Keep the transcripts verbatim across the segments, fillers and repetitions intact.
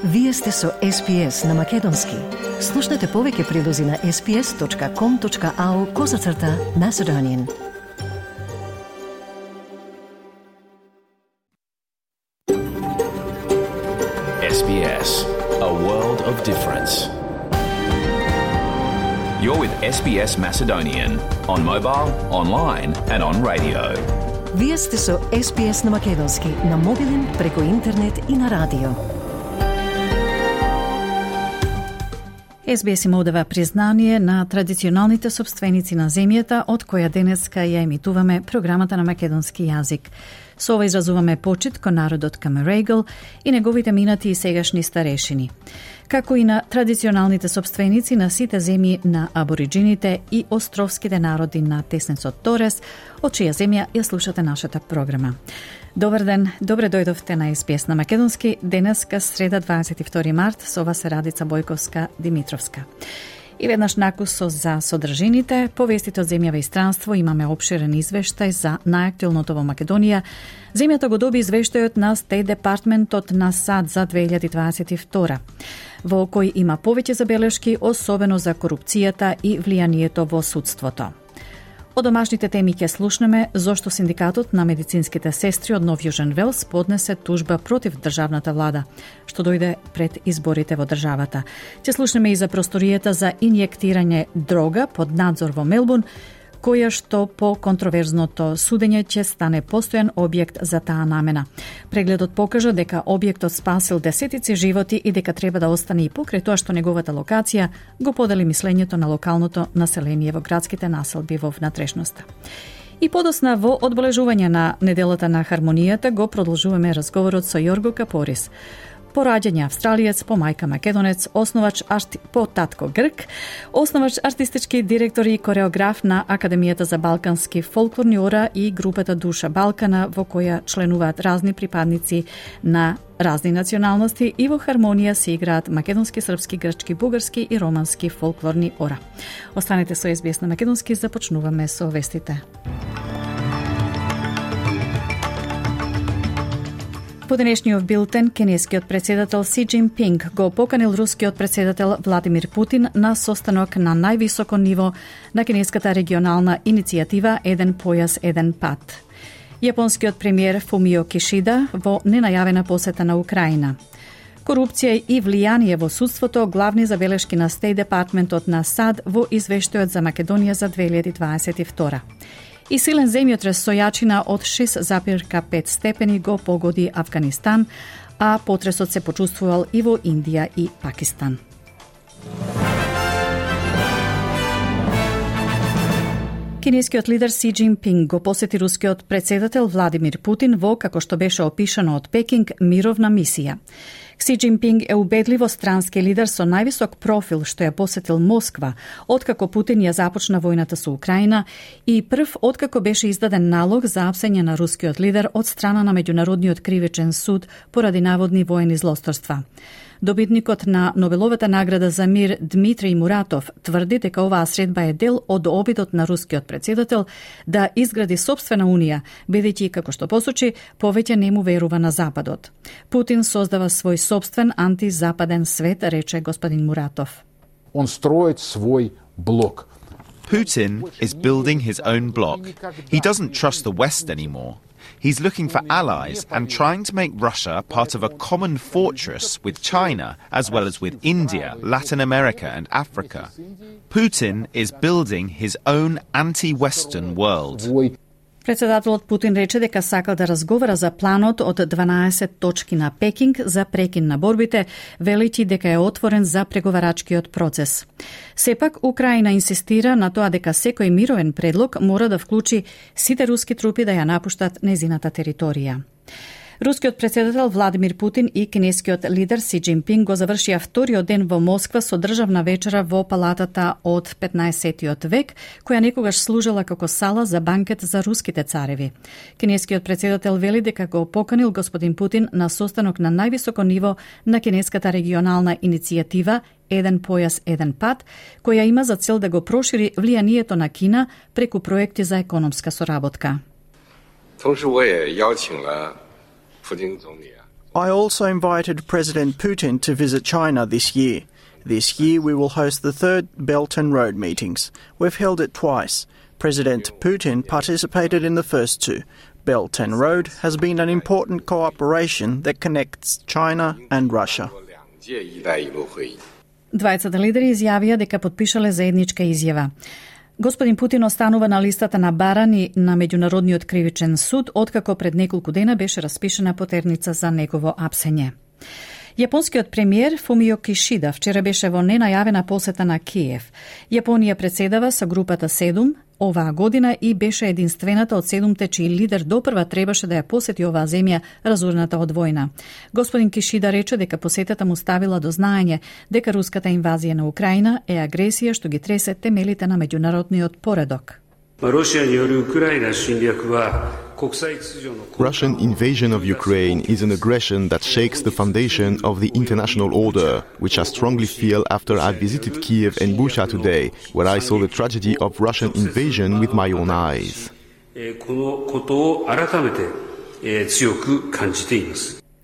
Вие сте со Ес Би Ес на Македонски. Слушнете повеќе прилози на ес би ес точка ком точка ау козацрта Macedonian. Ес Би Ес, a world of difference. You're with Ес Би Ес Macedonian on mobile, online and on radio. Вие сте со Ес Би Ес на Македонски, на мобилен, преку интернет и на радио. Ес Би Ес има одава признание на традиционалните собственици на земјата, од која денеска ја емитуваме програмата на македонски јазик. Со ова изразуваме почит кон народот Камерегл и неговите минати и сегашни старешини, како и на традиционалните собственици на сите земји на абориджините и островските народи на Теснецот Торес, од чија земја ја слушате нашата програма. Добар ден, добре дојдовте на Ес Би Ес на Македонски, денеска среда дваесет и втори март, со вас е Радица Бојковска-Димитровска. И веднаш накусо за содржините, по вестите од земјава и странство имаме обширен извештај за најактуелното во Македонија. Земјата го доби извештајот на Стејт Департментот на САД за две илјади дваесет и втора, во кој има повеќе забелешки, особено за корупцијата и влијанието во судството. Од домашните теми ќе слушнеме зошто синдикатот на медицинските сестри од Нов Јужен Велс поднесе тужба против државната влада, што дојде пред изборите во државата. Ќе слушнеме и за просторијата за инјектирање дрога под надзор во Мелбурн, која што по контроверзното судење ќе стане постојан објект за таа намена. Прегледот покажа дека објектот спасил десетици животи и дека треба да остане и покрај тоа што неговата локација го подели мислењето на локалното население во градските населби во внатрешноста. И подосна во одбележување на неделата на хармонијата го продолжуваме разговорот со Јорго Капорис. По раѓање австралиец, по мајка македонец, основач арти... по татко грк, основач артистички директор и кореограф на Академијата за балкански фолклорни ора и групата Душа Балкана, во која членуваат разни припадници на разни националности и во хармонија се играат македонски, српски, грчки, бугарски и романски фолклорни ора. Останете со Ес Би Ес на Македонски, започнуваме со вестите. По денешниот билтен, кинескиот председател Си Џинпинг го поканил рускиот председател Владимир Путин на состанок на највисоко ниво на кинеската регионална иницијатива Еден појас, еден пат. Јапонскиот премиер Фумио Кишида во ненајавена посета на Украина. Корупција и влијание во судството, главни забелешки на Стејт Департментот на САД во извештајот за Македонија за две илјади дваесет и втора. И силен земјотрес со јачина од шест зарез пет степени го погоди Авганистан, а потресот се почувствувал и во Индија и Пакистан. Кинескиот лидер Си Џинпинг го посети рускиот председател Владимир Путин во, како што беше опишано од Пекинг, мировна мисија. Си Џинпинг е убедливо странски лидер со највисок профил што ја посетил Москва, откако Путин ја започна војната со Украина и прв откако беше издаден налог за апсење на рускиот лидер од страна на Меѓународниот кривичен суд поради наводни воени злосторства. Добитникот на Нобеловата награда за мир Дмитрий Муратов тврди дека оваа средба е дел од обидот на рускиот председател да изгради собствена унија, бидејќи, како што посочи, повеќе не му верува на Западот. Путин создава свој собствен антизападен свет, рече господин Муратов. Он строит свой блок. Putin is building his own bloc. He doesn't trust the West anymore. He's looking for allies and trying to make Russia part of a common fortress with China, as well as with India, Latin America and Africa. Putin is building his own anti-Western world. Председателот Путин рече дека сака да разговара за планот од дванаесет точки на Пекинг за прекин на борбите, велејќи дека е отворен за преговарачкиот процес. Сепак, Украина инсистира на тоа дека секој мировен предлог мора да вклучи сите руски трупи да ја напуштат незината територија. Рускиот председател Владимир Путин и кинескиот лидер Си Џинпинг го завршија вториот ден во Москва со државна вечера во палатата од петнаесеттиот век, која некогаш служела како сала за банкет за руските цареви. Кинескиот председател вели дека го поканил господин Путин на состанок на највисоко ниво на кинеската регионална иницијатива Еден појас, еден пат, која има за цел да го прошири влијанието на Кина преку проекти за економска соработка. I also invited President Putin to visit China this year. This year we will host the third Belt and Road meetings. We've held it twice. President Putin participated in the first two. Belt and Road has been an important cooperation that connects China and Russia. Двајцата лидери изјавија дека потпишале заедничка изјава. Господин Путин останува на листата на барани на Меѓународниот кривичен суд, откако пред неколку дена беше распишена потерница за негово апсење. Јапонскиот премиер Фумио Кишида вчера беше во ненајавена посета на Киев. Јапонија председава со групата седум оваа година и беше единствената од седумте чиј лидер допрва требаше да ја посети оваа земја разорната од војна. Господин Кишида рече дека посетата му ставила до знаење дека руската инвазија на Украина е агресија што ги тресе темелите на меѓународниот поредок. Russian invasion of Ukraine is an aggression that shakes the foundation of the international order, which I strongly feel after I visited Kiev and Bucha today, where I saw the tragedy of Russian invasion with my own eyes.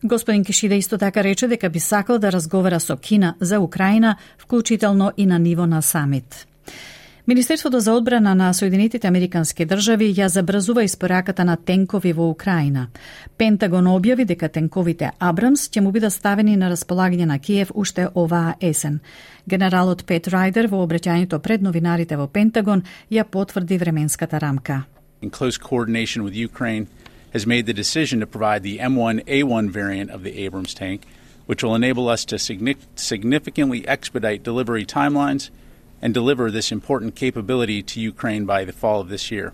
Господин Кишида исто така рече дека би сакал да разговара со Кина за Украина, вклучително и на ниво на самит. Министерството за одбрана на Соединетите Американски држави ја забрзува испораката на тенкови во Украина. Пентагон објави дека тенковите Абрамс ќе му бидат ставени на располагање на Киев уште оваа есен. Генералот Пет Райдер во обраќањето пред новинарите во Пентагон ја потврди временската рамка. In close coordination with Ukraine has made the decision to provide the M one A one variant of the Abrams tank, which will enable us to significantly expedite delivery timelines and deliver this important capability to Ukraine by the fall of this year.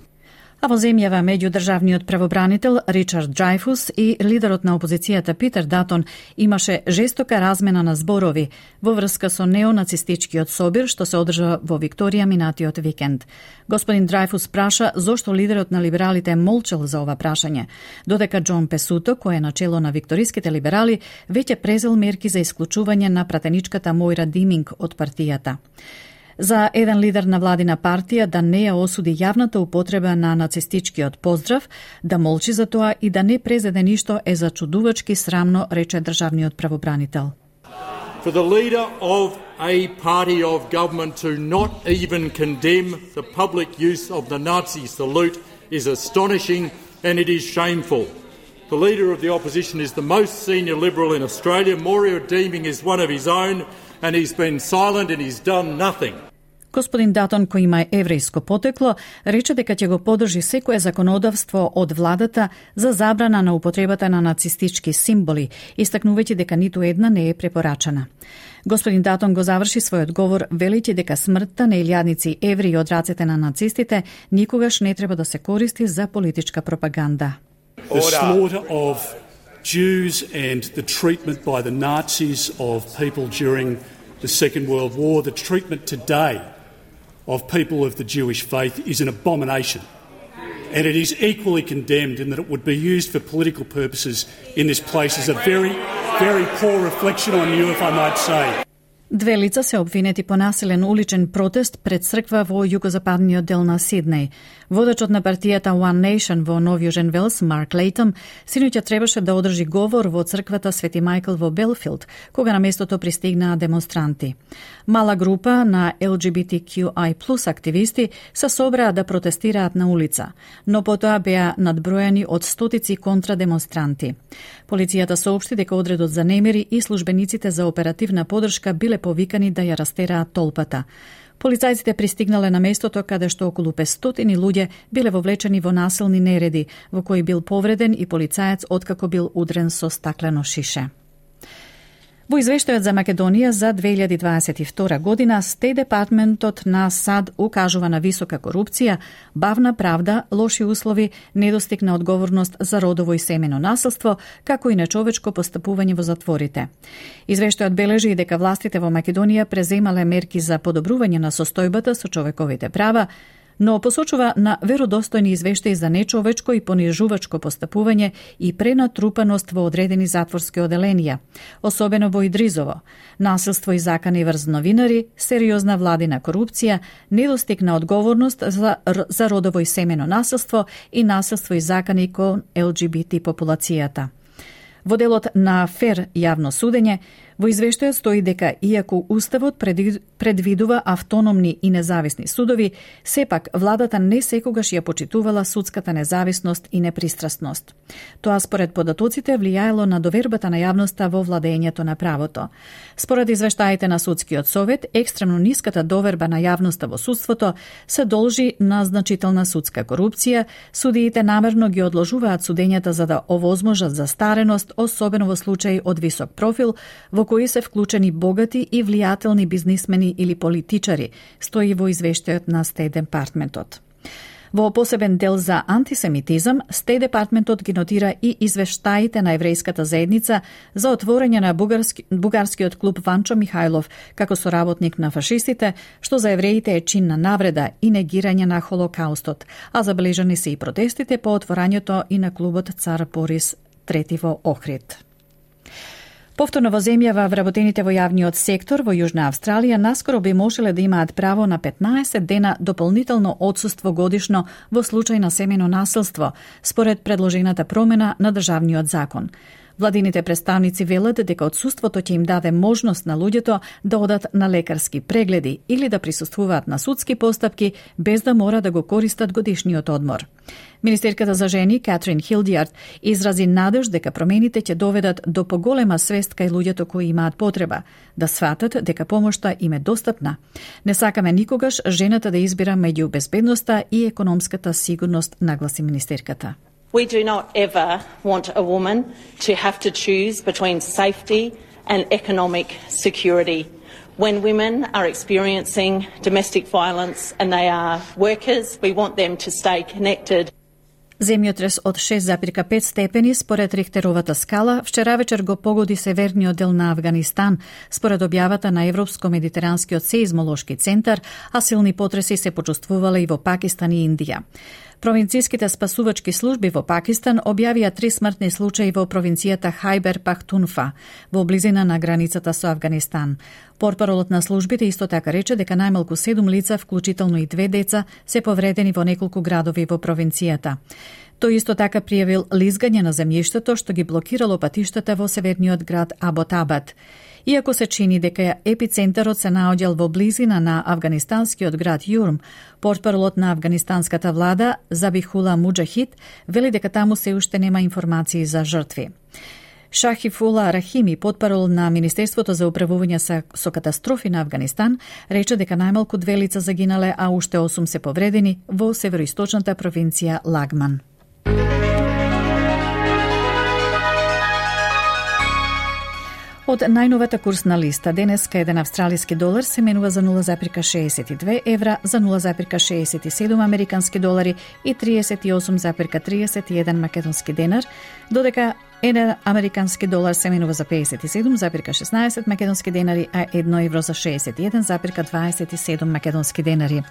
А во земјава меѓудржавниот правобранител Ричард Драйфус и лидерот на опозицијата Питер Датон имаше жестока размена на зборови во врска со неонацистичкиот собир што се одржа во Викторија минатиот викенд. Господин Драйфус праша зошто лидерот на либералите молчал за ова прашање, додека Џон Песуто, кој е начело на викториските либерали, веќе презел мерки за исклучување на пратеничката Мојра Диминг од партијата. За еден лидер на владина партија да не ја осуди јавната употреба на нацистичкиот поздрав, да молчи за тоа и да не презеде ништо е зачудувачки срамно, рече државниот правобранител. For the leader of a party of government to not even condemn the public use of the Nazi salute is astonishing and it is shameful. The leader of the opposition is the most senior Liberal in Australia. Moira Deeming is one of his own and he's been silent and he's done nothing. Господин Датон, кој има еврејско потекло, рече дека ќе го поддржи секое законодавство од владата за забрана на употребата на нацистички символи, истакнувајќи дека ниту една не е препорачана. Господин Датон го заврши својот говор велејќи дека смртта на илјадници евреи од рацете на нацистите никогаш не треба да се користи за политичка пропаганда. The slaughter of Jews and the treatment by the Nazis of people during the Second World War, the treatment today of people of the Jewish faith is an abomination. And it is equally condemned in that it would be used for political purposes in this place is a very, very poor reflection on you, if I might say. Две лица се обвинети по насилен уличен протест пред црква во југозападниот дел на Сиднеј. Водачот на партијата One Nation во Нов Јужен Велс, Марк Лейтъм, синоќа требаше да одржи говор во црквата Свети Мајкл во Белфилд, кога на местото пристигнаа демонстранти. Мала група на Л Г Б Т Q I плюс активисти се собраа да протестираат на улица, но потоа беа надброени од стотици контрадемонстранти. Полицијата соопшти дека одредот за немири и службениците за оперативна поддршка биле повикани да ја растераат толпата. Полицајците пристигнале на местото каде што околу петстотини луѓе биле вовлечени во насилни нереди, во кои бил повреден и полицаец откако бил удрен со стаклено шише. Во извештајот за Македонија за две илјади дваесет и втора година, Стејт Департментот на САД укажува на висока корупција, бавна правда, лоши услови, недостиг на одговорност за родово и семено насилство, како и нечовечко постапување во затворите. Извештајот бележи и дека властите во Македонија преземале мерки за подобрување на состојбата со човековите права, но посочува на веродостојни извештаи за нечовечко и понижувачко постапување и пренатрупаност во одредени затворски оделенија, особено во Идризово, насилство и закани врз новинари, сериозна владина корупција, недостиг на одговорност за, за родово и семено насилство и насилство и закани кон Л Г Б Т популацијата. Во делот на фер јавно судење, во извештајот стои дека иако Уставот предвидува автономни и независни судови, сепак владата не секогаш ја почитувала судската независност и непристрасност. Тоа според податоците влијаело на довербата на јавноста во владењето на правото. Според извештаите на Судскиот совет, екстремно ниската доверба на јавноста во судството се должи на значителна судска корупција. Судиите намерно ги одложуваат судењата за да овозможат застареност, особено во случаи од висок профил, во кои се вклучени богати и влијателни бизнисмени или политичари, стои во извештајот на Стейт Департментот. Во посебен дел за антисемитизам, Стейт Департментот ги нотира и извештаите на еврејската заедница за отворање на бугарски, бугарскиот клуб Ванчо Михајлов како соработник на фашистите, што за евреите е чин на навреда и негирање на Холокаустот, а забележани се и протестите по отворањето и на клубот Цар Борис трети во Охрид. Повторно во земјава, вработените во јавниот сектор во Јужна Австралија наскоро би можеле да имаат право на петнаесет дена дополнително отсуство годишно во случај на семејно насилство, според предложената промена на државниот закон. Владините представници велат дека отсуството ќе им даде можност на луѓето да одат на лекарски прегледи или да присуствуваат на судски постапки без да мора да го користат годишниот одмор. Министерката за жени Катрин Хилдијард изрази надеж дека промените ќе доведат до поголема свест кај луѓето кои имаат потреба, да сватат дека помошта им е достапна. Не сакаме никогаш жената да избира меѓу безбедноста и економската сигурност, нагласи министерката. We do not ever want a woman to have to choose between safety and economic security. When women are experiencing domestic violence and they are workers, we want them to stay connected. Земјотрес од шест запир пет степени според Рихтеровата скала вчера вечер го погоди северниот дел на Авганистан, според објавата на Европско-медитеранскиот сеизмолошки центар, а силни потреси се почувствувале и во Пакистан и Индија. Провинцијските спасувачки служби во Пакистан објавија три смртни случаи во провинцијата Хајбер Пахтунфа, во близина на границата со Авганистан. Портпаролот на службите исто така рече дека најмалку седум лица, вклучително и две деца, се повредени во неколку градови во провинцијата. Тој исто така пријавил лизгање на земјиштето што ги блокирало патиштата во северниот град Аботабад. Иако се чини дека епицентарот се наоѓал во близина на афганистанскиот град Јурм, портпаролот на афганистанската влада Забихула Муџахид вели дека таму се уште нема информации за жртви. Шахифула Рахими, портпарол на Министерството за управување со катастрофи на Афганистан, рече дека најмалку две лица загинале, а уште осум се повредени во североисточната провинција Лагман. Од најновата курсна листа, денеска еден австралиски долар се менува за нула запирка шеесет и две евра, за нула запирка шеесет и седум американски долари и триесет и осум запирка триесет и еден македонски денар, додека еден американски долар се менува за пеесет и седум запирка шеснаесет македонски денари, а едно евро за шеесет и еден запирка дваесет и седум македонски денари.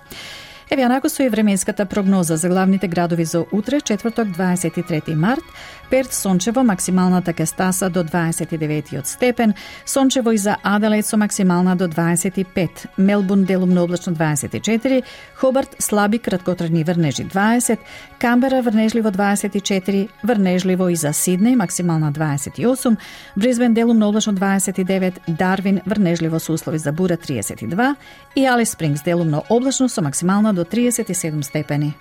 Еве анако со и временската прогноза за главните градови за утре, четврток дваесет и трети март, Перт сончево, максималната ќе стаса до дваесет и деветиот степен, сончево и за Аделаид со максимална до дваесет и пет, Мелбурн делумно облачно дваесет и четири, Хобарт слаби краткотрajни врнежи дваесет, Камбера врнежливо дваесет и четири, врнежливо и за Сиднеј максимална дваесет и осум, Брисбен делумно облачно дваесет и девет, Дарвин врнежливо со услови за бура триесет и два и Алис Спрингс делумно облачно со максимална до триесет и седум степени.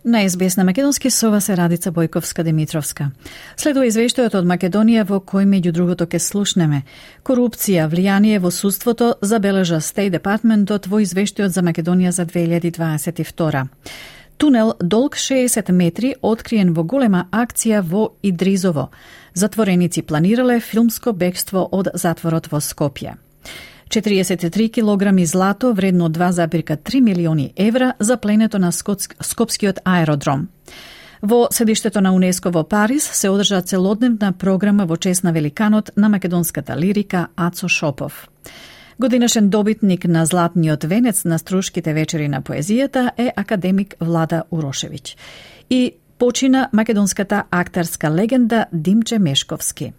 На ес би ес на македонски со вас е Радица Бојковска-Димитровска. Следува извештајот од Македонија во кој меѓу другото ке слушнеме. Корупција, влијание во судството забележа Стейт Департментот во извештајот за Македонија за две илјади дваесет и втора. Тунел долг шеесет метри откриен во голема акција во Идризово. Затвореници планирале филмско бегство од затворот во Скопје. четириесет и три килограми злато вредно два запирка три милиони евра за пленето на Скопскиот аеродром. Во седиштето на УНЕСКО во Париз се одржа целодневна програма во чест на великанот на македонската лирика Ацо Шопов. Годинашен добитник на Златниот венец на Струшките вечери на поезијата е академик Влада Урошевиќ. И почина македонската актарска легенда Димче Мешковски.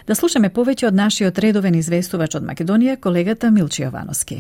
Да слушаме повеќе од нашиот редовен известувач од Македонија, колегата Милче Јовановски.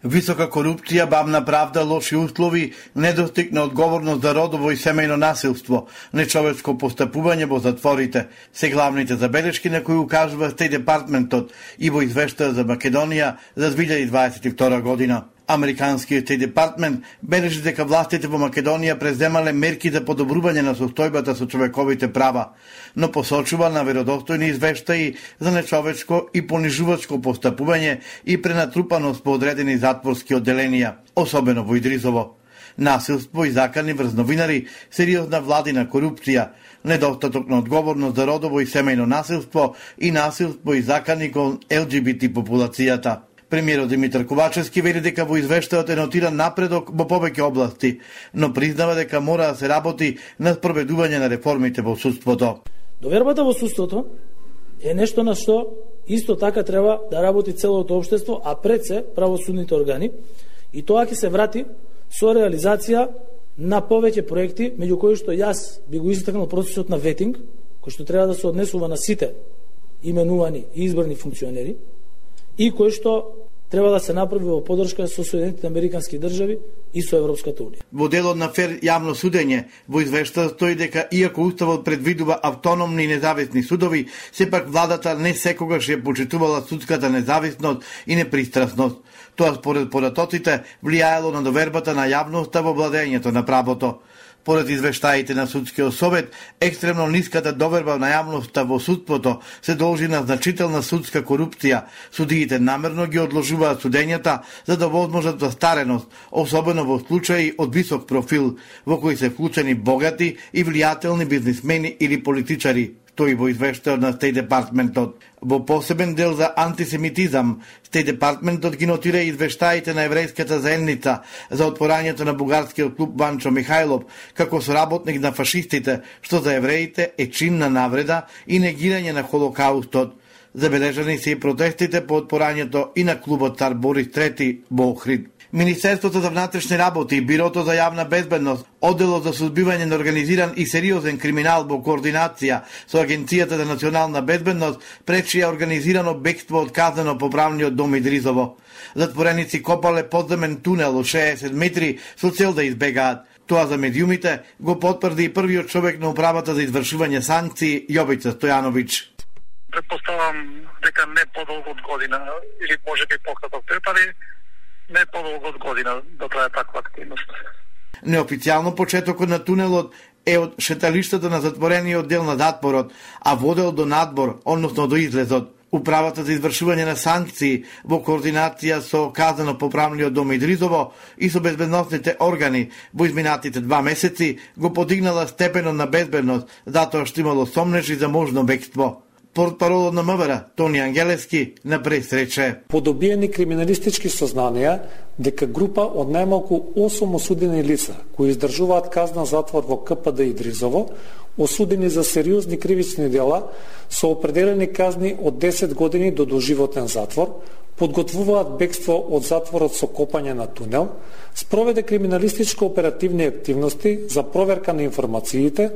Висока корупција, бавна правда, лоши услови, недостиг на одговорност за родово и семејно насилство, нечовечко постапување во затворите се главните забелешки на кои укажува Стејт Департментот и во извештај за Македонија за две илјади дваесет и втора година. Американскиот Стејт Департмент бележи дека властите во Македонија преземале мерки за подобрување на состојбата со човековите права, но посочува на веродостојни извештаи за нечовечко и понижувачко постапување и пренатрупаност по одредени затворски одделенија, особено во Идризово. Насилство и закани врз новинари, сериозна владина корупција, недостаток на одговорност за родово и семејно насилство и насилство и закани кон Ел Џи Би Ти популацијата. Премиерот Димитар Ковачевски вели дека во извештајот е нотиран напредок во повеќе области, но признава дека мора да се работи на спроведување на реформите во судството. Довербата во судството е нешто на што исто така треба да работи целото општество, а пред се правосудните органи, и тоа ќе се врати со реализација на повеќе проекти, меѓу кои што јас би го истакнал процесот на ветинг, кој што треба да се однесува на сите именувани и избрани функционери, и кој што треба да се направи во поддршка со Соединетите американски држави и со Европската унија. Во делот на фер јавно судење, во извештајот стои дека иако уставот предвидува автономни и независни судови, сепак владата не секогаш ја почитувала судската независност и непристрасност. Тоа според поратоците влијаело на довербата на јавноста во владењето на правото. Поред извештаите на Судскиот совет, екстремно ниската доверба на јавноста во судството се должи на значителна судска корупција. Судиите намерно ги одложуваат судењата за да возможат застареност, особено во случаи од висок профил, во кои се вклучени богати и влијателни бизнисмени или политичари, стои во извештајот на Стејт Департментот. Во посебен дел за антисемитизам, Стејт Департментот ги нотира извештаите на еврејската заедница за отпорањето на бугарскиот клуб Ванчо Михајлов како соработник на фашистите, што за евреите е чин на навреда и негирање на Холокаустот. Забележани се и протестите по отпорањето и на клубот Цар Борис трети во Охрид. Министерството за внатрешни работи и Бирото за јавна безбедност, одделот за судбивање на организиран и сериозен криминал во координација со Агенцијата за национална безбедност, пречија организирано бегство од казнено поправниот дом Идризово. Затвореници копале подземен тунел од шеесет метри со цел да избегаат. Тоа за медиумите го потврди и првиот човек на управата за извршување санкции Јовица Стојановиќ. Предпоставам дека не подолго од година или можеби пократок период, али не подолго од година да трае таква активност. Неофицијално почетокот на тунелот е од шеталиштето на затворениот дел на затворот, а водел до надбор, односно до излезот. Управата за извршување на санкции во координација со казано поправниот дом Идризово и со безбедносните органи во изминатите два месеци го подигнала степенот на безбедност, затоа што имало сомнежи за можно бегство. Портпаролот на МВР Тони Ангелевски на пресрече. Подобиени криминалистички сознанија дека група од најмалку осум осудени лица кои издржуваат казна затвор во Ка Пе Де Идризово, осудени за сериозни кривични дела со определени казни од десет години до доживотен затвор, подготвуваат бегство од затворот со копање на тунел, спроведе криминалистичко оперативни активности за проверка на информациите,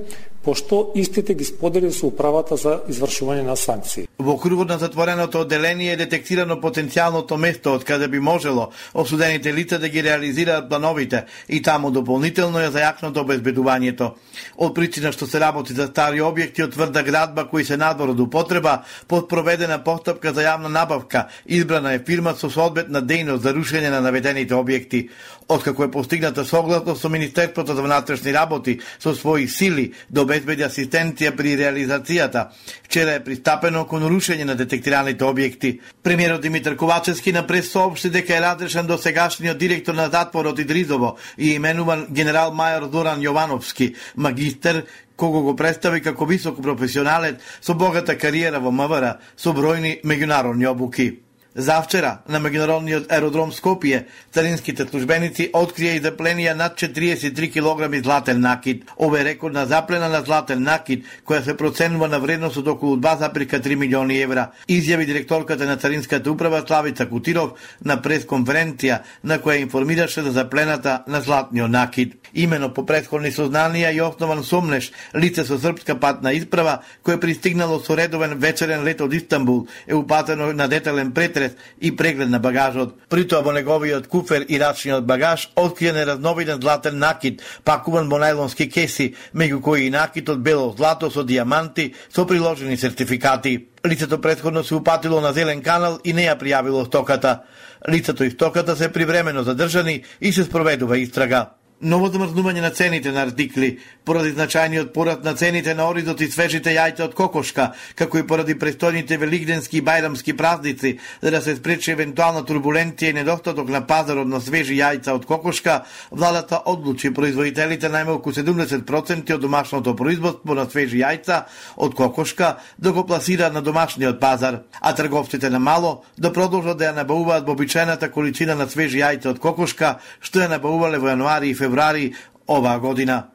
пошто истите ги сподели со управата за извршување на санкции. Во кругот на затвореното одделение е детектирано потенцијалното место од каде би можело осудените лица да ги реализираат плановите и таму дополнително е зајакнато обезбедувањето. Од причина што се работи за стари објекти од тврда градба кои се надвор од употреба, под проведена постапка за јавна набавка, избрана е фирма со соодветна дејност за рушење на наведените објекти. Откако е постигната согласност со Министерството за внатрешни работи со своји сили да обезбеди асистенција при реализацијата, вчера е пристапено кон рушење на детектираните објекти. Премиерот Димитар Ковачевски на прес соопшти дека е разрешен до сегашниот директор на затворот Идризово и именуван генерал мајор Зоран Јовановски, магистер, кого го представи како висок професионалец со богата кариера во МВР со бројни меѓународни обуки. Завчера на меѓународниот аеродром Скопје царинските службеници открија и запленија над четириесет и три килограми златен накид. Ова е рекордна заплена на златен накид, која се проценува на вредност од околу два зарез три милиони евра, изјави директорката на Царинската управа Славица Кутиров на пресконференција на која информираше за заплената на златниот накид. Имено по претходни сознанија и основан сомнеш, лице со српска патна исправа кој пристигнало со редовен вечерен лет од Истанбул е упатено на детален претрес и преглед на багажот. При тоа во неговиот куфер и рачниот багаж откриен неразновиден златен накид, пакуван во најлонски кеси, меѓу кои и накид од бело злато со дијаманти со приложени сертификати. Лицето претходно се упатило на Зелен канал и не ја пријавило стоката. Лицето и стоката се привремено задржани и се спроведува истрага. Ново замрзнување на цените на артикли, поради значајниот пораст на цените на оризот и свежите јајца од кокошка, како и поради престојните велигденски и бајрамски празници, за да се спречи евентуална турбуленција и недостаток на пазарот на свежи јајца од кокошка, владата одлучи производителите најмалку седумдесет проценти од домашното производство на свежи јајца од кокошка да го пласираат на домашниот пазар, а трговците на мало да продолжат да ја набавуваат вообичаената количина на свежи јајца од кокошка, што ја набавувале во јануари и февруари оваа година.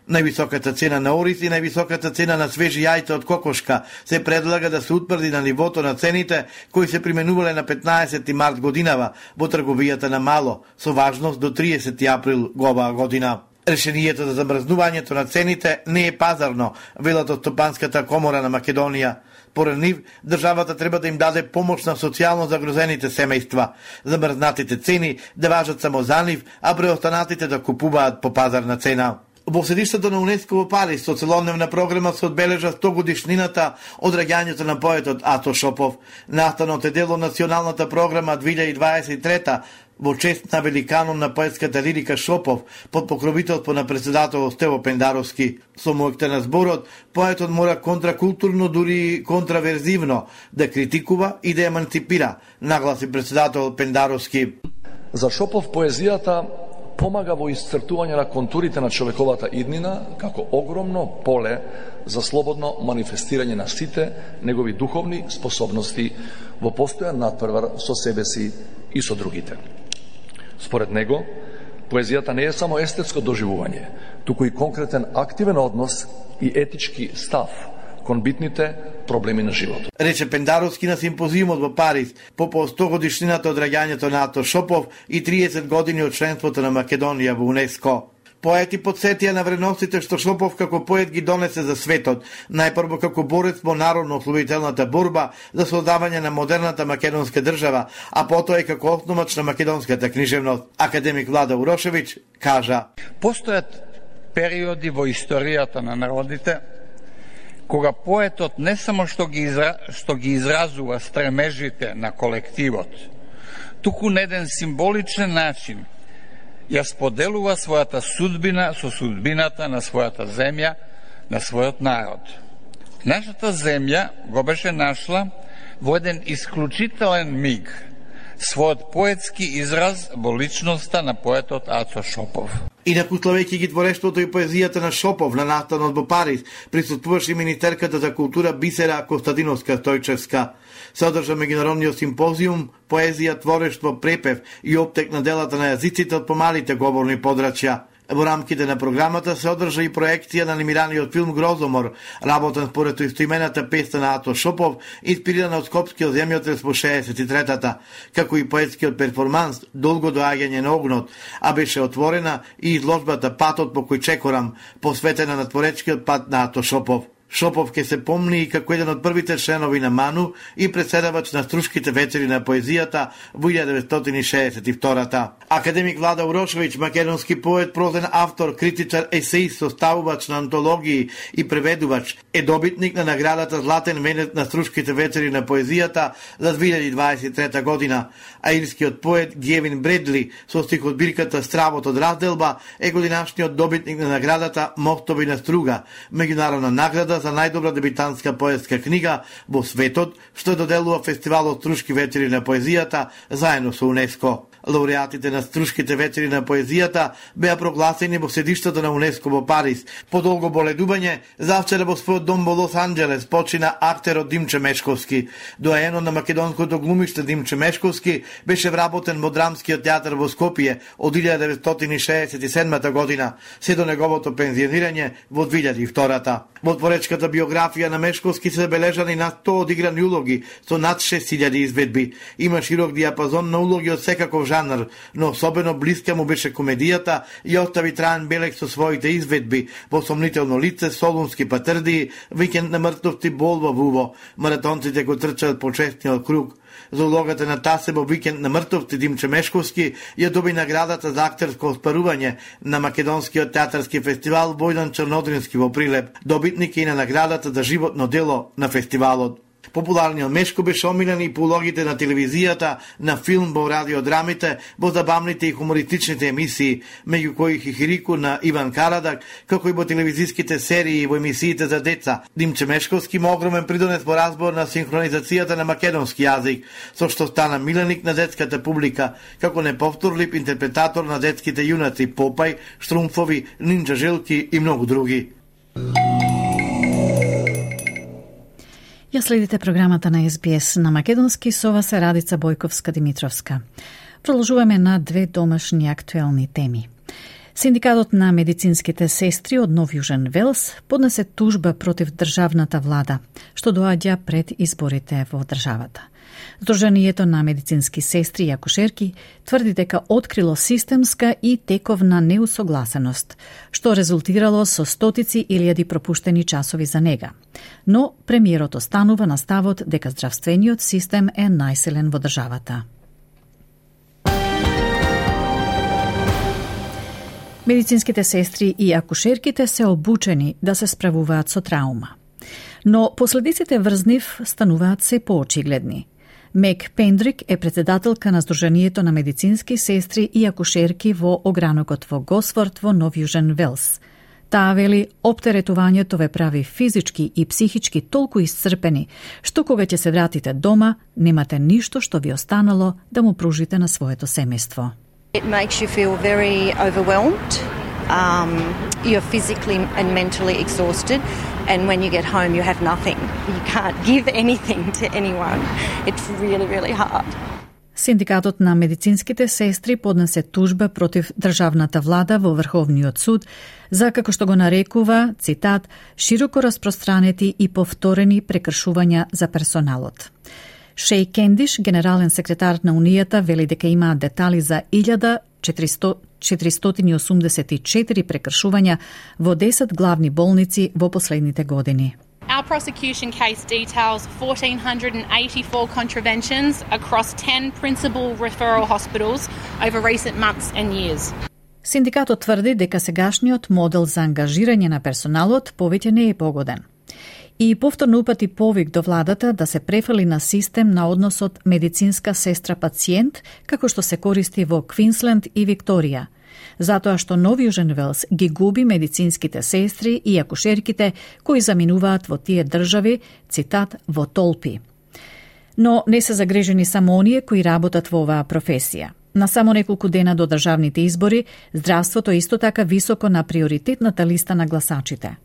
Највисоката цена на ориз и највисоката цена на свежи јајца од кокошка се предлага да се утврди на нивото на цените кои се применувале на петнаесети март годинава во трговијата на мало, со важност до триесети април оваа година. Решението за замрзнувањето на цените не е пазарно, велат од Стопанската комора на Македонија. Поред нив, државата треба да им даде помош на социјално загрозените семејства. Замрзнатите цени да важат само за нив, а преостанатите да купуваат по пазарна цена. Во седиштето на УНЕСКО во Париз со целодневна програма се одбележа сто годишнината од раѓањето на поетот Ато Шопов. Настанот е дел од националната програма две илјади дваесет и трета во чест на великанот на поетската лирика Шопов под покровителство на председателот Стево Пендаровски. Со мојката на зборот, поетот мора контракултурно, дури контраверзивно да критикува и да еманципира, нагласи председателот Пендаровски. За Шопов поезијата помага во исцртување на контурите на човековата иднина како огромно поле за слободно манифестирање на сите негови духовни способности во постојан надпревар со себе си и со другите. Според него, поезијата не е само естетско доживување, туку и конкретен активен однос и етички став кон битните проблеми на животот. Рече Пендаровски на симпозиумот во Париз по по сто годишнината од раѓањето на Ато Шопов и триесет години од членството на Македонија во УНЕСКО. Поети подсетија на вредностите што Шопов како поет ги донесе за светот, најпрво како борец во народно-ослободителната борба за создавање на модерната македонска држава, а потоа и како основач на македонската книжевност. Академик Влада Урошевиќ кажа: Постојат периоди во историјата на народите кога поетот не само што ги, изра... што ги изразува стремежите на колективот, туку на еден символичен начин ја споделува својата судбина со судбината на својата земја, на својот народ. Нашата земја го беше нашла во еден исклучителен миг својот поетски израз во личноста на поетот Ато Шопов. Инаку славејќи ги творештвото и поезијата на Шопов на настанот во Париз, присуствуваше и министерката за култура Бисера Костадиновска-Стојчевска. Се одржа меѓународниот симпозиум Поезија, творештво, препев и оптек на делата на јазиците од помалите говорни подрачја. Во рамките на програмата се одржа и проекција на анимираниот филм Грозомор, работен според истоимената песна на Ато Шопов, инспирирана од скопскиот земјотрес во шеесет и третата, како и поетскиот перформанс Долго доаѓање на огнот, а беше отворена и изложбата Патот по кој чекорам, посветена на творечкиот пат на Ато Шопов. Шопов ке се помни и како еден од првите членови на МАНУ и председавач на Струшките вечери на поезијата во илјада деветстотини и шеесет и втората. Академик Влада Урошевиќ, македонски поет, прозен автор, критичар, есеист, составувач на антологии и преведувач, е добитник на наградата Златен венец на Струшките вечери на поезијата за две илјади дваесет и трета година, а ирскиот поет Гевин Бредли со стихотбирката Стравот од разделба е годинашниот добитник на наградата Мостови на струга, меѓународна награда за најдобра дебитантска поетска книга во светот, што доделува фестивалот Струшки вечери на поезијата заедно со УНЕСКО. Лауреатите на Струшките вечери на поезијата беа прогласени во седиштето на УНЕСКО во Париз. По долго боледување, завчера во својот дом во Лос Анџелес почина актерот Димче Мешковски. Доаенот на македонското глумиште Димче Мешковски беше вработен во Драмскиот театар во Скопје од илјада деветстотини шеесет и седма година, се до неговото пензионирање во две илјади и втора. Во творечката биографија на Мешковски се забележани на сто одиграни улоги со над шест илјади изведби. Има широк диапазон на улоги од секаков жанр, но особено блиска му беше комедијата и остави траен белег со своите изведби во Сомнително лице, Солунски патрдии, Викенд на мртовци, Бол во Вуво. Маратонците го трчаат по честниот круг. За улогата на Тасе во Викенд на мртовци Димче Мешковски ја доби наградата за актерско оспарување на Македонскиот театарски фестивал Војдан Чернодрински во Прилеп. Добитник е и на наградата за животно дело на фестивалот. Популарниот Мешко беше омилен и по улогите на телевизијата, на филм, во радиодрамите, во забавните и хумористичните емисии, меѓу кои Хихирику на Иван Карадак, како и во телевизиските серии и во емисиите за деца. Димче Мешковски има огромен придонес во разбор на синхронизацијата на македонски јазик, со што стана миленик на детската публика, како неповторлив интерпретатор на детските јунаци Попај, Штрумфови, Нинџа Желки и многу други. Ја следите програмата на Ес Би Ес на македонски, со вас е Радица Бојковска-Димитровска. Продолжуваме на две домашни актуелни теми. Синдикатот на медицинските сестри од Нов Јужен Велс поднесе тужба против државната влада, што доаѓа пред изборите во државата. Сдруженијето на медицински сестри и акушерки тврди дека открило системска и тековна неусогласеност, што резултирало со стотици илјади пропуштени часови за нега. Но премиерот останува на ставот дека здравствениот систем е најсилен во државата. Медицинските сестри и акушерките се обучени да се справуваат со траума. Но последиците врз нив стануваат се поочигледни. Мек Пендрик е председателка на Сдруженијето на медицински сестри и акушерки во огранокот во Госфорд во Нов Јужен Велс. Таа вели, оптеретувањето ве прави физички и психички толку исцрпени, што кога ќе се вратите дома, немате ништо што ви останало да му пружите на своето семејство. It makes you feel very overwhelmed. Um, you're physically and mentally exhausted, and when you get home you have nothing. You can't give anything to anyone. It's really, really hard. Синдикатот на медицинските сестри поднесе тужба против државната влада во Врховниот суд за, како што го нарекува, цитат, широко распространети и повторени прекршувања за персоналот. Шеј Кендиш, генерален секретар на Унијата, вели дека имаат детали за илјада четиристотини и осумдесет и четири прекршувања во десет главни болници во последните години. Our prosecution case details one thousand four hundred eighty-four contraventions across ten principal referral hospitals over recent months and years. Синдикатот тврди дека сегашниот модел за ангажирање на персоналот повеќе не е погоден. И повторно упати повик до владата да се префали на систем на односот медицинска сестра-пациент, како што се користи во Квинсленд и Викторија, затоа што Нов Јужен Велс ги губи медицинските сестри и акушерките кои заминуваат во тие држави, цитат, во толпи. Но не се загрежени само оние кои работат во оваа професија. На само неколку дена до државните избори, здравството исто така високо на приоритетната листа на гласачите.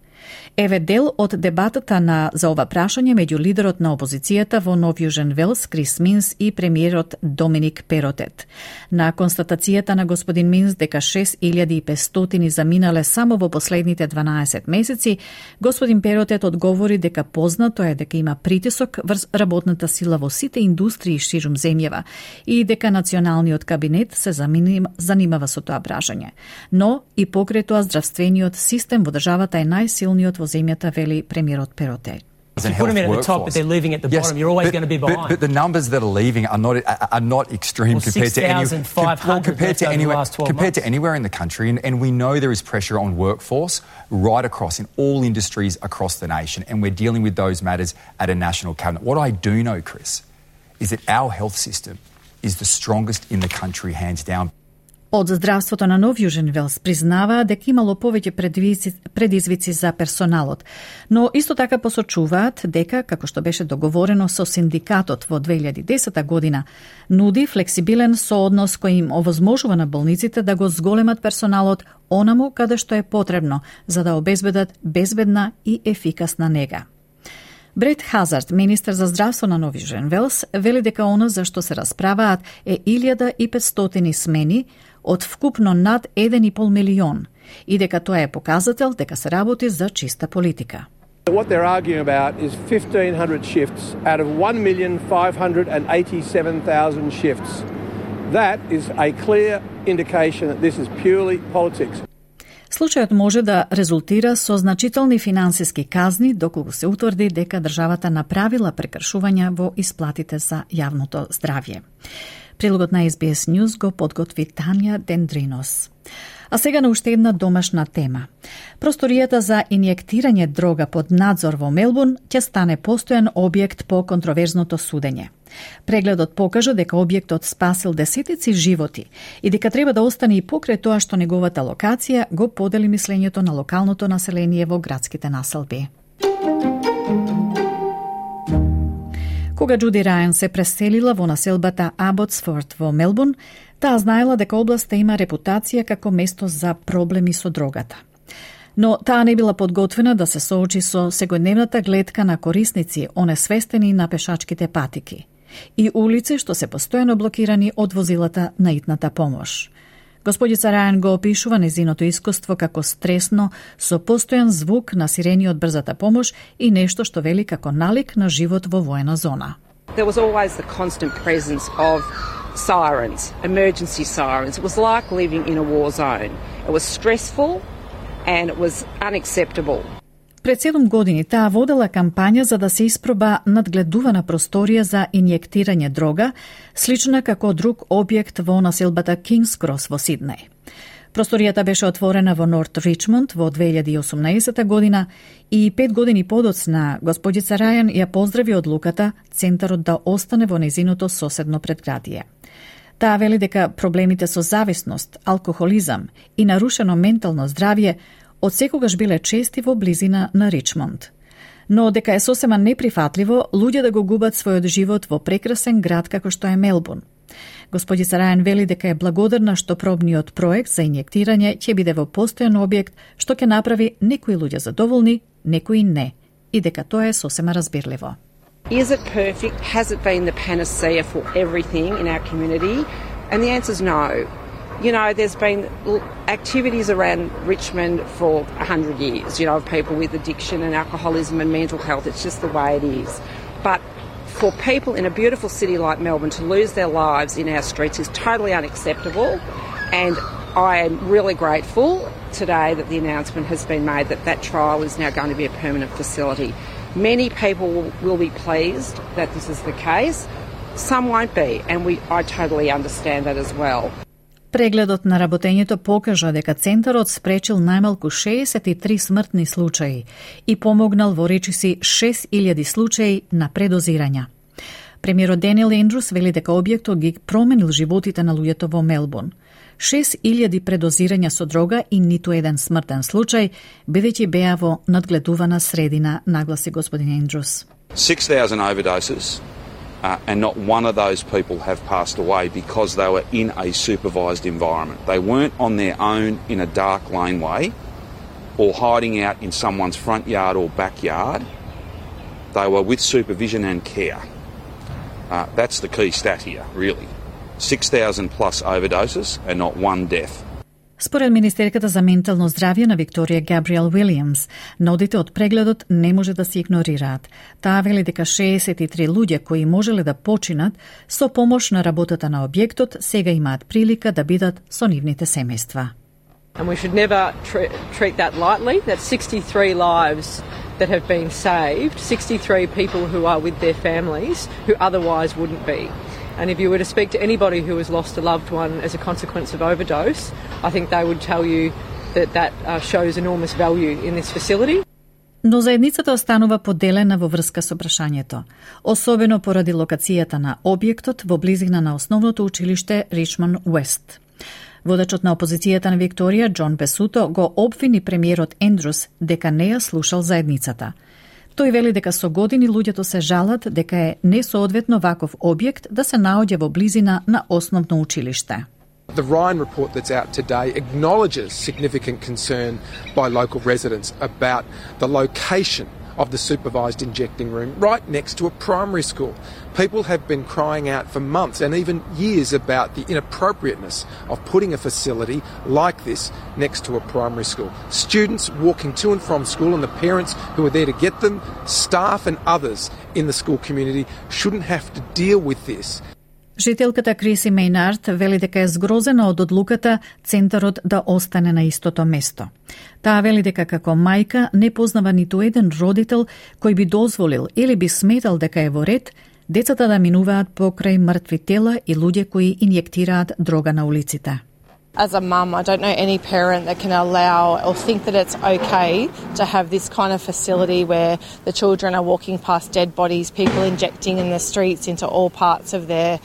Еве дел од дебатата на за ова прашање меѓу лидерот на опозицијата во Нов Јужен Велс, Крис Минс, и премиерот Доминик Перотет. На констатацијата на господин Минс дека шест илјади и петстотини заминале само во последните дванаесет месеци, господин Перотет одговори дека познато е дека има притисок врз работната сила во сите индустрии ширум земјава и дека националниот кабинет се занимава со тоа прашање. Но и покрај тоа здравствениот систем во државата е најсилниот во земјата, вели премиерот Перотет. If you put them in at the top, but they're leaving at the yes, bottom, you're always but, going to be behind. But, but the numbers that are leaving are not are not extreme well, compared to any, well, compared to anywhere compared months. to anywhere in the country, and, and we know there is pressure on workforce right across in all industries across the nation, and we're dealing with those matters at a national cabinet. What I do know, Chris, is that our health system is the strongest in the country, hands down. Од здравството на Нов Јужен Велс признаваа дека имало повеќе предизвици за персоналот, но исто така посочуваат дека, како што беше договорено со синдикатот во две илјади и десета година, нуди флексибилен сооднос кој им овозможува на болниците да го зголемат персоналот онаму каде што е потребно, за да обезбедат безбедна и ефикасна нега. Брет Хазард, министер за здравство на Нов Јужен Велс, вели дека оно за што се расправаат е илјада и петстотини смени од вкупно над еден и пол милион и дека тоа е показател дека се работи за чиста политика. What they're arguing about is fifteen hundred shifts out of one million five hundred eighty-seven thousand shifts. That is a clear indication that this is purely politics. Случајот може да резултира со значителни финансиски казни доколку се утврди дека државата направила прекршувања во исплатите за јавното здравје. Прилогот на Ес Би Ес News го подготви Тања Дендринос. А сега на уште една домашна тема. Просторијата за инјектирање дрога под надзор во Мелбурн ќе стане постојан објект по контроверзното судење. Прегледот покажа дека објектот спасил десетици животи и дека треба да остане и покрај тоа што неговата локација го подели мислењето на локалното население во градските населби. Кога Џуди Рајан се преселила во населбата Аботсфорд во Мелбурн, таа знаела дека областа има репутација како место за проблеми со дрогата. Но таа не била подготвена да се соочи со секојдневната гледка на корисници онесвестени на пешачките патики и улици што се постојано блокирани од возилата на итната помош. Господица Рајан го опишува незиното искуство како стресно, со постојан звук на сирени од брзата помош и нешто што вели како налик на живот во воена зона. There was always the constant presence of sirens, emergency sirens. It was like living in a war zone. It was stressful and it was unacceptable. Пред седум години таа водела кампања за да се испроба надгледувана просторија за инјектирање дрога, слична како друг објект во населбата Кингс Крос во Сиднеј. Просторијата беше отворена во Норт Ричмонд во две илјади и осумнаесета година и пет години подоцна господица Рајан ја поздрави одлуката центарот да остане во незиното соседно предградие. Таа вели дека проблемите со зависност, алкохолизам и нарушено ментално здравје од секогаш биле чести во близина на Ричмонд. Но дека е сосема неприфатливо луѓе да го губат својот живот во прекрасен град како што е Мелбурн. Господица Рајан вели дека е благодарна што пробниот проект за инјектирање ќе биде во постојан објект што ќе направи некои луѓе задоволни, некои не, и дека тоа е сосема разбирливо. Is it perfect? Has it been the panacea for everything in our community? And the answer is no. You know, there's been activities around Richmond for a hundred years, you know, of people with addiction and alcoholism and mental health. It's just the way it is. But for people in a beautiful city like Melbourne to lose their lives in our streets is totally unacceptable. And I am really grateful today that the announcement has been made that that trial is now going to be a permanent facility. Many people will be pleased that this is the case. Some won't be, and we, I totally understand that as well. Прегледот на работењето покажа дека центарот спречил најмалку шеесет и три смртни случаи и помогнал во речиси шест илјади случаи на предозирања. Премиерот Денел Ендрус вели дека објектот ги променил животите на луѓето во Мелбурн. шест илјади предозирања со дрога и ниту еден смртен случај, бидејќи беа во надгледувана средина, нагласи господин Ендрус. six thousand overdoses. Uh, and not one of those people have passed away because they were in a supervised environment. They weren't on their own in a dark laneway or hiding out in someone's front yard or backyard. They were with supervision and care. Uh, that's the key stat here, really. six thousand plus overdoses and not one death. Според Министерката за ментално здравје на Викторија Габриел Уилијамс, нодите од прегледот не може да се игнорираат. Таа вели дека шеесет и три луѓе кои можеле да починат со помош на работата на објектот сега имаат прилика да бидат со нивните семејства. And we should never tr- treat that lightly. That's sixty-three lives that have been saved, sixty-three people who are with their families who otherwise wouldn't be. And if you were to speak to anybody who has lost a loved one as a consequence of overdose, I think they would tell you that that uh, shows enormous value in this facility. Но заедницата останува поделена во врска со прашањето, особено поради локацијата на објектот во близина на основното училиште Ричмонд Уест. Водачот на опозицијата на Викторија, Џон Песуто, го обвини премиерот Ендрус дека не ја слушал заедницата. Тој вели дека со години луѓето се жалат дека е несоодветно ваков објект да се наоѓа во близина на основно училиште. The Ryan report that's out today acknowledges significant concern by local residents about the location of the supervised injecting room right next to a primary school. People have been crying out for months and even years about the inappropriateness of putting a facility like this next to a primary school. Students walking to and from school and the parents who are there to get them, staff and others in the school community shouldn't have to deal with this. Жителката Криси Мейнард вели дека е згрозена од одлуката центарот да остане на истото место. Таа вели дека како мајка не познава ниту еден родител кој би дозволил или би сметал дека е во ред децата да минуваат покрај мртви тела и луѓе кои инјектираат дрога на улиците. As a mum, I don't know any parent that can allow or think that it's okay to have this kind of facility where the children are walking past dead bodies, people injecting in the streets into all parts of their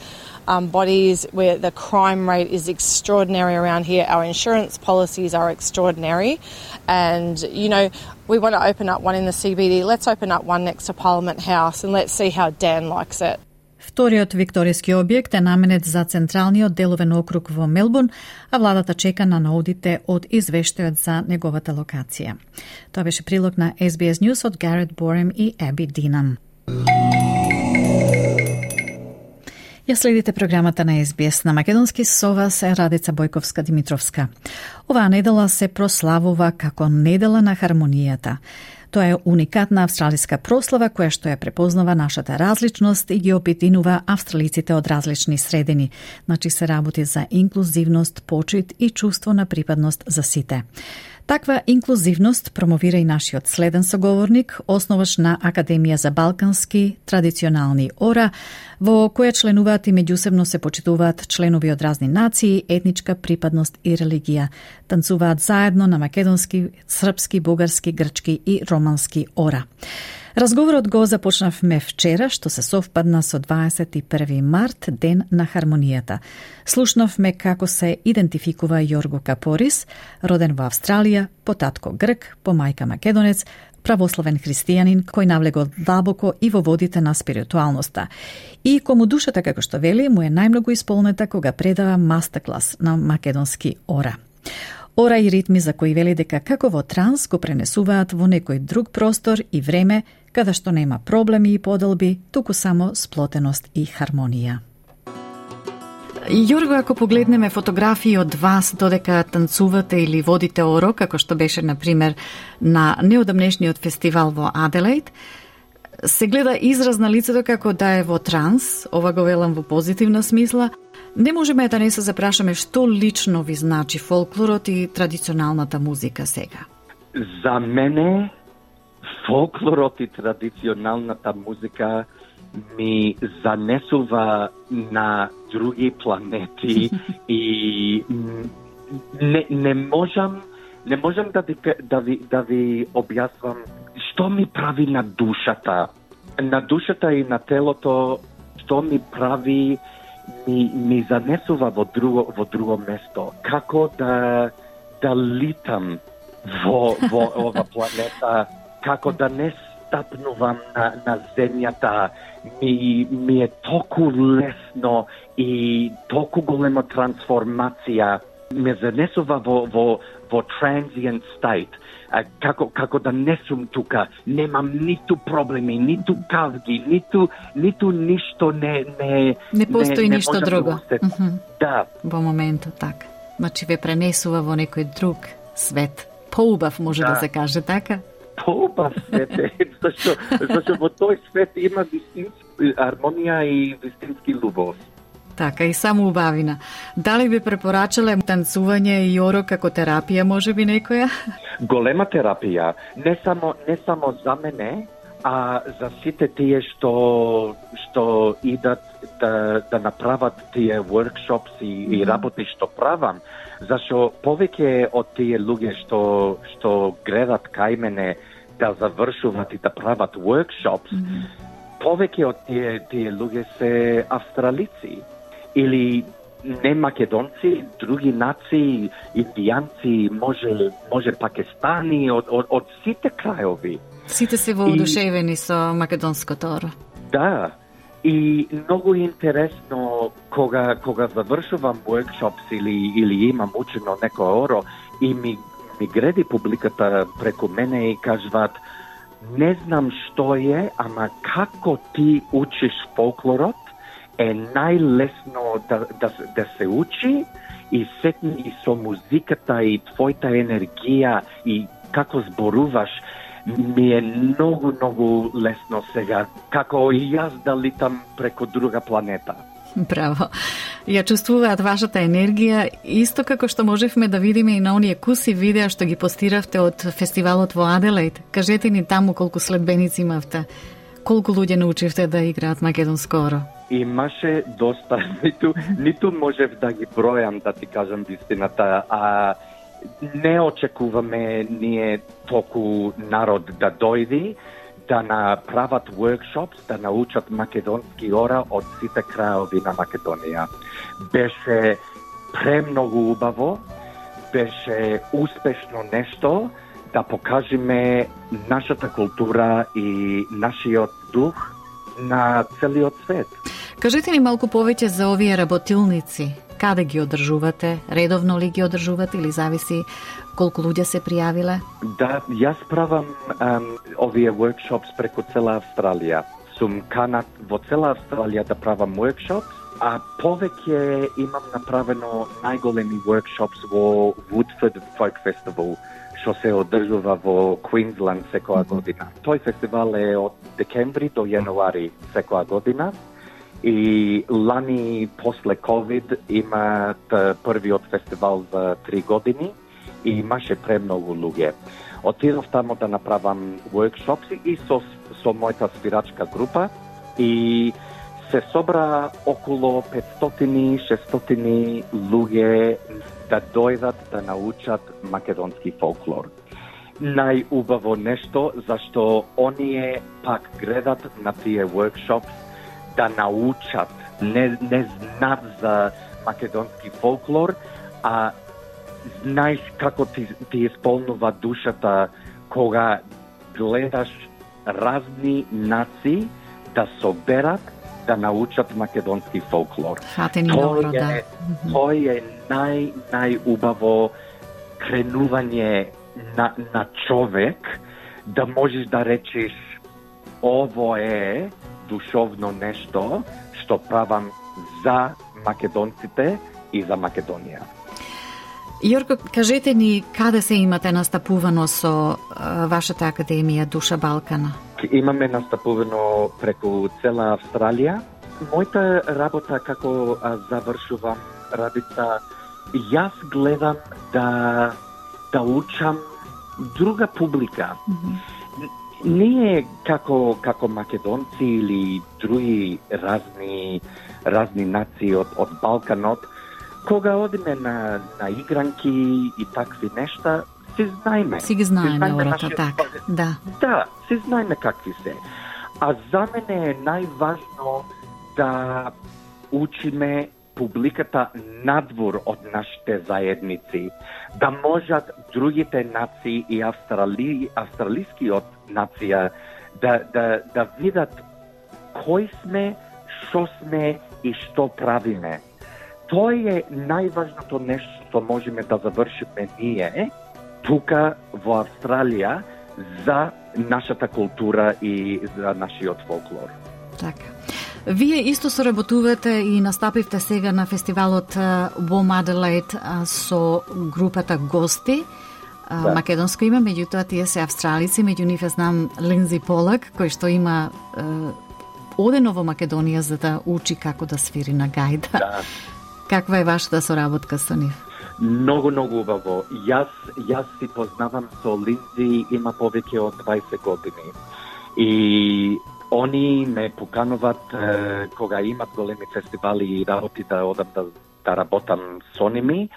um, bodies, where the crime rate is extraordinary around here. Our insurance policies are extraordinary. And, you know, we want to open up one in the C B D. Let's open up one next to Parliament House and let's see how Dan likes it. Вториот викторијски објект е наменет за централниот деловен округ во Мелбурн, а владата чека на наудите од извештајот за неговата локација. Тоа беше прилог на Ес Би Ес News од Гарет Борем и Еби Динам. Ја следите програмата на Ес Би Ес на македонски, со вас е Радица Бојковска-Димитровска. Оваа недела се прославува како недела на хармонијата. Тоа е уникатна австралиска прослава која што ја препознава нашата различност и ги обединува австралиците од различни средини. Значи се работи за инклузивност, почит и чувство на припадност за сите. Таква инклузивност промовира и нашиот следен соговорник, основач на Академија за балкански традиционални ора, во која членуваат и меѓусебно се почитуваат членови од разни нации, етничка припадност и религија. Танцуваат заедно на македонски, српски, бугарски, грчки и романски ора. Разговорот го започнавме вчера, што се совпадна со дваесет и први март, ден на хармонијата. Слушнавме како се идентификува Јорго Капорис, роден во Австралија, по татко грк, по мајка македонец, православен христијанин кој навлегол длабоко и во водите на спиритуалноста. И кому душата, како што вели, му е најмногу исполнета кога предава мастерклас на македонски ора. Ора и ритми за кои вели дека како во транс го пренесуваат во некој друг простор и време, каде што нема проблеми и поделби, туку само сплотеност и хармонија. Јорго, ако погледнеме фотографии од вас додека танцувате или водите оро, како што беше, например, на неодамнешниот фестивал во Аделаид, се гледа израз на лицето како да е во транс, ова го велам во позитивна смисла. Не можеме да не се запрашаме што лично ви значи фолклорот и традиционалната музика сега. За мене фолклорот и традиционалната музика ми занесува на други планети и не, не можам не можам да ви, да ви, да ви објаснам што ми прави на душата. На душата и на телото што ми прави ми, ми занесува во друго, во друго место. Како да, да литам во, во ова планета, како да не стапнувам на, на земјата, ми, ми е толку лесно и толку голема трансформација. Ме занесува во, во, во transient state. А, како, како да не сум тука, немам ниту проблеми, ниту кавги, ниту, ниту ништо не... Не, не постои не, ништо не друго. Да, mm-hmm. Да. Во моментот така. Значи ве пренесува во некој друг свет. Поубав може да, да се каже така? Поубав свет е, зашто, зашто во тој свет има вистински хармонија и вистински љубов. Така, и само убавина. Дали би препорачале танцување и оро како терапија, може би некоја? Голема терапија. Не само, не само за мене, а за сите тие што, што идат да, да направат тие workshops и, mm-hmm. и работи што правам. Зашто повеќе од тие луѓе што, што гледат кај мене да завршуваат и да прават workshops, mm-hmm. повеќе од тие, тие луѓе се австралици. Или не македонци, други нации, индијанци, може може пакистани, од од, од сите крајови. Сите се воодушевени и... со македонското оро. Да. И многу интересно кога кога завршувам workshops или или имам учено некој оро и ми ми греди публиката преку мене и кажуваат: не знам што е, ама како ти учиш фолклорот е најлесно да, да, да се учи и сетни и со музиката и твојата енергија и како зборуваш ми е многу, многу лесно сега, како и јас да литам преку друга планета. Браво. Ја чувствуваат вашата енергија, исто како што можевме да видиме и на оние куси видеа што ги постиравте од фестивалот во Аделаид. Кажете ни таму колку следбеници имавте, колку луѓе научивте да играат македонско оро? Имаше доста, ниту, ниту можев да ги бројам, да ти кажам вистината, а не очекуваме ние толку народ да дојди, да направат workshops, да научат македонски ора од сите крајови на Македонија. Беше премногу убаво, беше успешно нешто да покажеме нашата култура и нашиот дух на целиот свет. Кажете ни малку повеќе за овие работилници. Каде ги одржувате? Редовно ли ги одржувате или зависи колку луѓе се пријавиле? Да, јас правам um, овие workshops преку цела Австралија. Сум канат во цела Австралија да правам workshops, а повеќе имам направено најголеми workshops во Woodford Folk Festival, што се одржува во Квинсленд секоја година. Тој фестивал е од декември до јануари секоја година. И лани после ковид имаат првиот фестивал за три години и имаше премногу луѓе. Отидов тамо да направам workshops и со, со мојата свирачка група и се собра околу петстотини до шестстотини луѓе да дојдат да научат македонски фолклор. Најубаво нешто зашто оние пак гледат на тие workshops да научат, не, не знаат за македонски фолклор, а знаеш како ти, ти исполнува душата кога гледаш разни нации да соберат да научат македонски фолклор. Фатени добро, да. Тој е нај, најубаво кренување на, на човек, да можеш да речеш ово е душовно нешто што правам за македонците и за Македонија. Јорко, кажете ни каде се имате настапувано со а, вашата академија Душа Балкана? Имаме настапувано преку цела Австралија. Мојата работа како а, завршувам радица, јас гледам да да учам друга публика. Mm-hmm. Ние како како македонци или други разни разни нации од од Балканот, кога одиме на на игранки и такви нешта, се знаеме. Си ги знаеме ората, така. Да. Да, се знаеме какви се. А за мене е најважно да учиме публиката надвор од нашите заедници, да можат другите нации и австрали, австралискиот нација да, да, да видат кој сме, што сме и што правиме. Тоа е најважното нешто што можеме да завршиме ние тука во Австралија за нашата култура и за нашиот фолклор. Така. Вие исто соработувате и настапивте сега на фестивалот во Аделаид со групата гости. Да. Македонско име, меѓутоа тие се австралици, меѓу нив знам Линдзи Полак, кој што има е, одено во Македонија за да учи како да свири на гајда. Да. Каква е вашата соработка со нив? Многу, многу убаво. Јас, јас си познавам со Линдзи има повеќе од дваесет години. И они ме покануваат е, кога имат големи фестивали и работи да одам да, да работам со ними,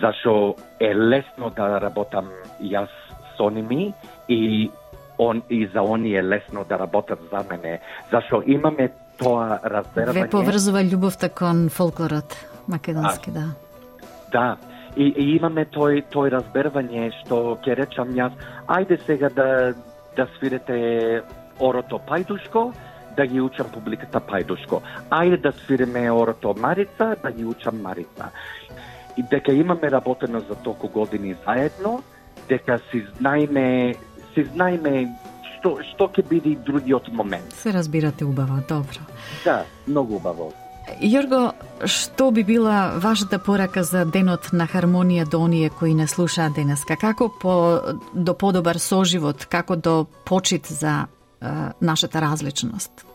зашо е лесно да работам јас со ними и он и за они е лесно да работат за мене, зашо имаме тоа разбирање. Ве поврзува љубовта кон фолклорот. македонски, а, да. Да, и, и имаме тој, тој разбервање што ќе речам јас, ајде сега да, да свирете орото Пајдушко, да ги учам публиката Пајдушко. Ајде да свиреме орото Марица, да ги учам Марица. И дека имаме работено за толку години заедно, дека си знаеме, си знаеме што, што ќе биде другиот момент. Се разбирате убаво, добро. Да, многу убаво. Јорго, што би била вашата порака за денот на хармонија до оние кои не слушаат денеска? Како по, до подобар соживот, како до почит за е, нашата различност?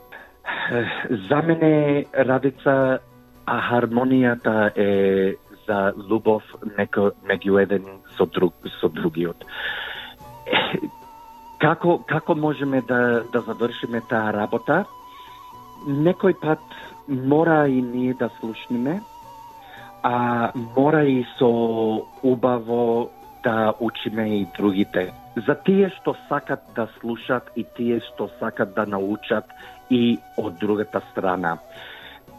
За мене, Радица, а хармонијата е за љубов меѓу еден со друг со другиот. Како како можеме да да завршиме таа работа? Некој пат мора и ние да слушнеме, а мора и со убаво да учиме и другите. За тие што сакат да слушат и тие што сакат да научат и од другата страна.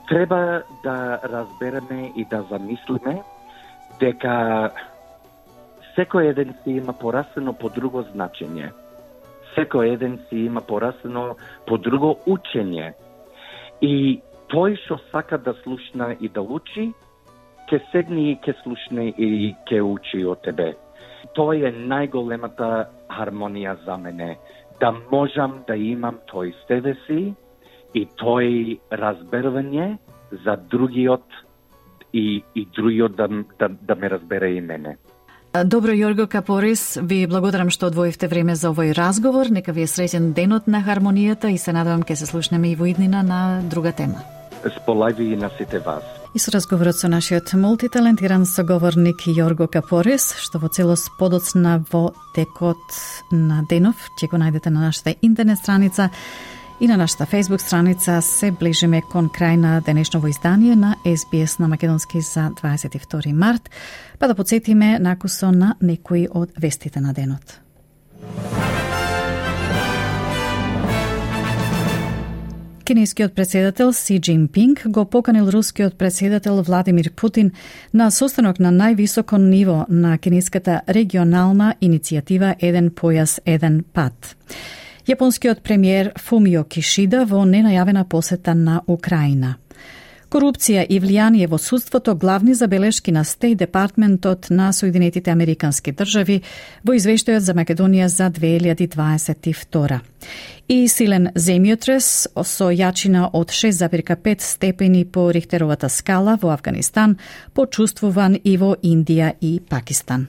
Треба да разбереме и да замислиме дека секој еден си има порасено по друго значење. Секој еден си има порасено по друго учење. И тој што сака да слушна и да учи, ќе седне и ќе слушне и ќе учи од тебе. Тој е најголемата хармонија за мене. Да можам да имам тој себе си и тој разбервање за другиот и, и другиот да, да, да ме разбере и мене. Добро, Јорго Капорис, ви благодарам што одвоивте време за овој разговор. Нека ви е среќен денот на хармонијата и се надевам ке се слушнеме и во иднина на друга тема. Сполајви и на сите вас. И со разговорот со нашиот мултиталентиран соговорник Јорго Капорис, што во целост подоцна во текот на денов, ќе го најдете на нашата интернет страница и на нашата Facebook страница. Се ближиме кон крај на денешново издание на Ес Би Ес на македонски за дваесет и втори март, па да подсетиме накусо на некои од вестите на денот. Кинескиот председател Си Џинпинг го поканил рускиот председател Владимир Путин на состанок на највисоко ниво на кинеската регионална иницијатива Еден појас, еден пат. Јапонскиот премиер Фумио Кишида во ненајавена посета на Украина. Корупција и влијание во судството главни забелешки на Стејт Департментот на Соединетите Американски држави во извештајот за Македонија за две илјади дваесет и втора. И силен земјотрес со јачина од шест зарез пет степени по Рихтеровата скала во Авганистан почувствуван и во Индија и Пакистан.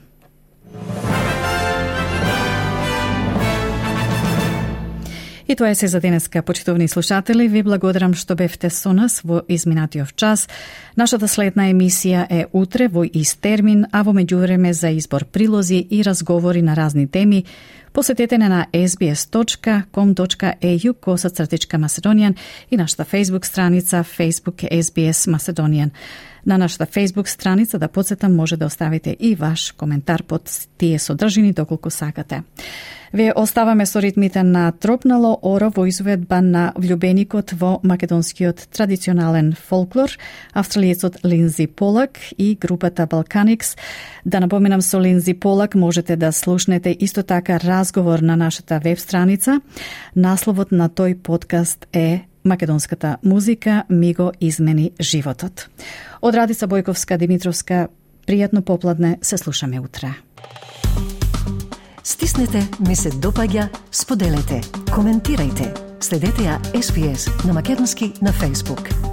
И тоа е се за денеска, почитувани слушатели. Ви благодарам што бевте со нас во изминатиот час. Нашата следна емисија е утре во ист термин, а во меѓувреме за избор прилози и разговори на разни теми, посетете на ес би ес точка ком точка е ю косацртичка Macedonian и нашата Facebook страница Facebook Ес Би Ес Macedonian. На нашата Facebook страница, да подсетам, може да оставите и ваш коментар под тие содржини доколку сакате. Ве оставаме со ритмите на Тропнало оро во изведба на влюбеникот во македонскиот традиционален фолклор, австралиецот Линдзи Полак и групата Балканикс. Да напоменам, со Линдзи Полак можете да слушнете исто така разговор на нашата веб страница. Насловот на тој подкаст е Македонската музика ми го измени животот. Од Радица Бојковска Димитровска, пријатно попладне, се слушаме утре. Стиснете, ми се допаѓа, споделете, коментирајте. Следете ја Ес Би Ес на македонски на Facebook.